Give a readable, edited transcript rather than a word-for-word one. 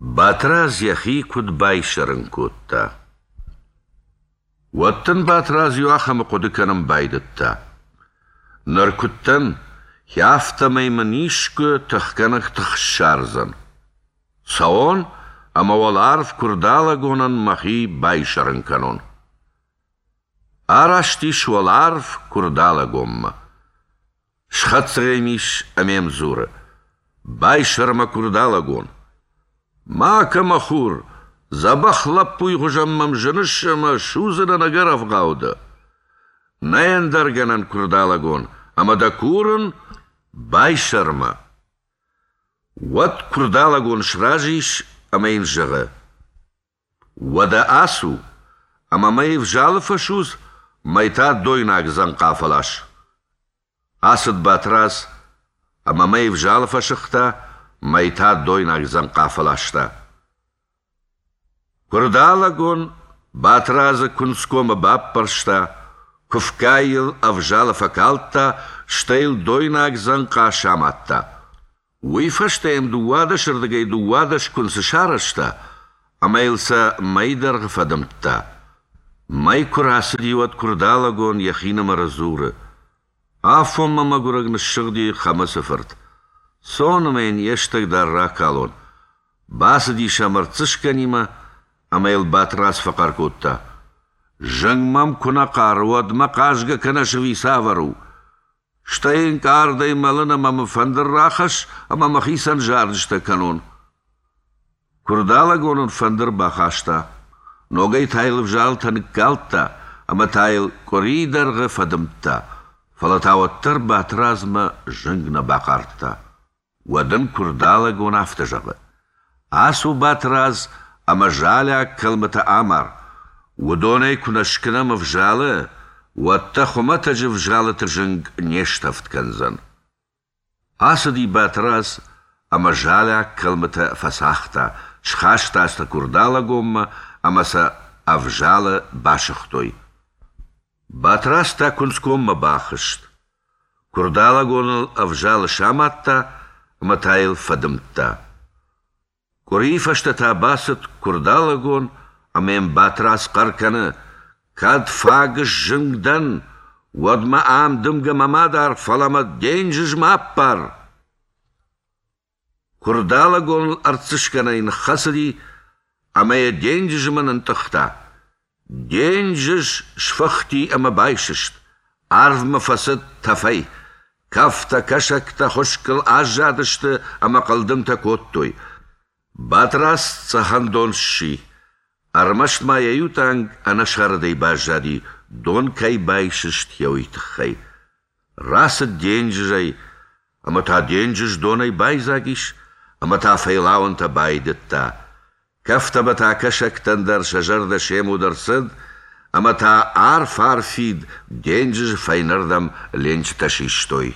Батрадз йӕхи куыд байсӕрын кодта. Уӕд дын Батрадз иуахӕмы хъуыды кӕнын байдыдта: Ныр куыд дӕн, афтӕмӕй мын искуы тыхгӕнӕг тых ссардзӕн. Цӕуон ӕмӕ уӕларв Куырдалӕгонӕн мӕхи байсӕрын кӕнон. Араст ис уӕларв Куырдалӕгонмӕ. Схӕццӕ йӕм ис ӕмӕ йӕм дзуры: «Байсӕр мӕ Куырдалӕгон! Макӕ, мӕ хур, дзӕбӕх лӕппуйы хуызӕн мӕм зыныс ӕмӕ судзынӕн ӕгӕр ӕвгъау дӕ. Нӕй ӕндӕр гӕнӕн, Куырдалӕгон, ӕмӕ дӕ курын, байсӕр мӕ!» Уӕд Куырдалӕгон сразы ис ӕмӕ йын зӕгъы: Уӕдӕ ацу, ӕмӕ мӕй ӕвзалы фӕсудз, мӕй та дойнаг дзӕнхъа фӕлас. Ацыд Батрадз ӕмӕ мӕй ӕвзалы фӕсыгъта, мӕй та дойнаг дзӕнхъа фӕласта. Куырдалӕгон Батрадзы куынцгомы баппӕрста, куыфгӕ йыл ӕвзалы фӕкалдта, стӕй йыл дойнаг дзӕнхъа самадта. Уый фӕстӕ йӕм дыууадӕсырдыгӕй 12 куынцы сарӕзта ӕмӕ йыл сӕ мӕйы дӕргъы фӕдымдта. Мӕй куы рацыди, уӕд Куырдалӕгон йӕхинымӕры дзуры: «Афонмӕ мӕгуырӕг ныссыгъди Хӕмыцы фырт. Цон ӕмӕ йын йе стӕг дӕр ракалон». Бацыди сӕм ӕртдзыскӕнимӕ ӕмӕ йыл Батрадз фӕхъӕр кодта: «Зынг мӕм куы нӕ хъары, уӕд мӕ хъазгӕ кӕнӕс ӕви цавӕр у? Стӕй ӕнкъардӕй мӕлын ӕмӕ мын фӕндыр рахӕсс ӕмӕ мӕхицӕн зарджытӕ кӕнон. Куырдалӕгон ын фӕндыр бахаста, ногӕй та йыл ӕвзалтӕ ныккалдта ӕмӕ та йыл къуырийы дӕргъы фӕдымдта, фӕлӕ та уӕддӕр Батрадзмӕ зынг нӕ бахъардта. Уӕд ын Куырдалӕгон афтӕ зӕгъы: «Ацу, Батрадз, ӕмӕ залиаг кӕлмытӕ амар. Уыдонӕй куы нӕ скӕнӕм ӕвзалы, уӕд дӕ хуымӕтӕджы ӕвзалыты зынг не стӕвд кӕндзӕн». Ацыди Батрадз ӕмӕ залиаг кӕлмытӕ фӕцагъта, схаста сӕ Куырдалӕгонмӕ ӕмӕ сӕ ӕвзалы басыгътой. Батрадз та куынцгоммӕ бахызт. Куырдалӕгон ыл ӕвзалы самадта ӕмӕ та йыл фӕдымдта. Къуырийы фӕстӕ та бацыд Куырдалӕгон ӕмӕ йӕм Батрадз хъӕр кӕны: «Кӕд фаг сзынг дӕн, уӕд мӕ ам дымгӕмӕ ма дар, фӕлӕ мӕ денджызмӕ аппар!» Куырдалӕгон ыл ӕртдзыскӕнӕй ныххӕцыди ӕмӕ йӕ денджызмӕ нынтъыхта. Денджыз сфыхти ӕмӕ байсыст, арвмӕ фӕцыд тӕфӕй. Кӕфтӕ, кӕсӕгтӕ хуыскъыл аззадысты ӕмӕ хъылдымтӕ кодтой. Батрадз цъӕхӕндон сси. Ӕрмӕст ма йӕ иу тъанг ӕнӕсӕрдӕй баззади, дон кӕй байсыст, йӕ уый тыххӕй. Рацыд денджызӕй, ӕмӕ та денджыз донӕй байдзаг ис, ӕмӕ та фӕйлауӕнтӕ байдыдта. Кӕфтӕ ӕмӕ та кӕсӕгтӕн дӕр сӕ зӕрдӕ се муд ӕрцыд, ӕмӕ та арф-арфид денджызы фӕйнӕрдӕм ленчытӕ систой.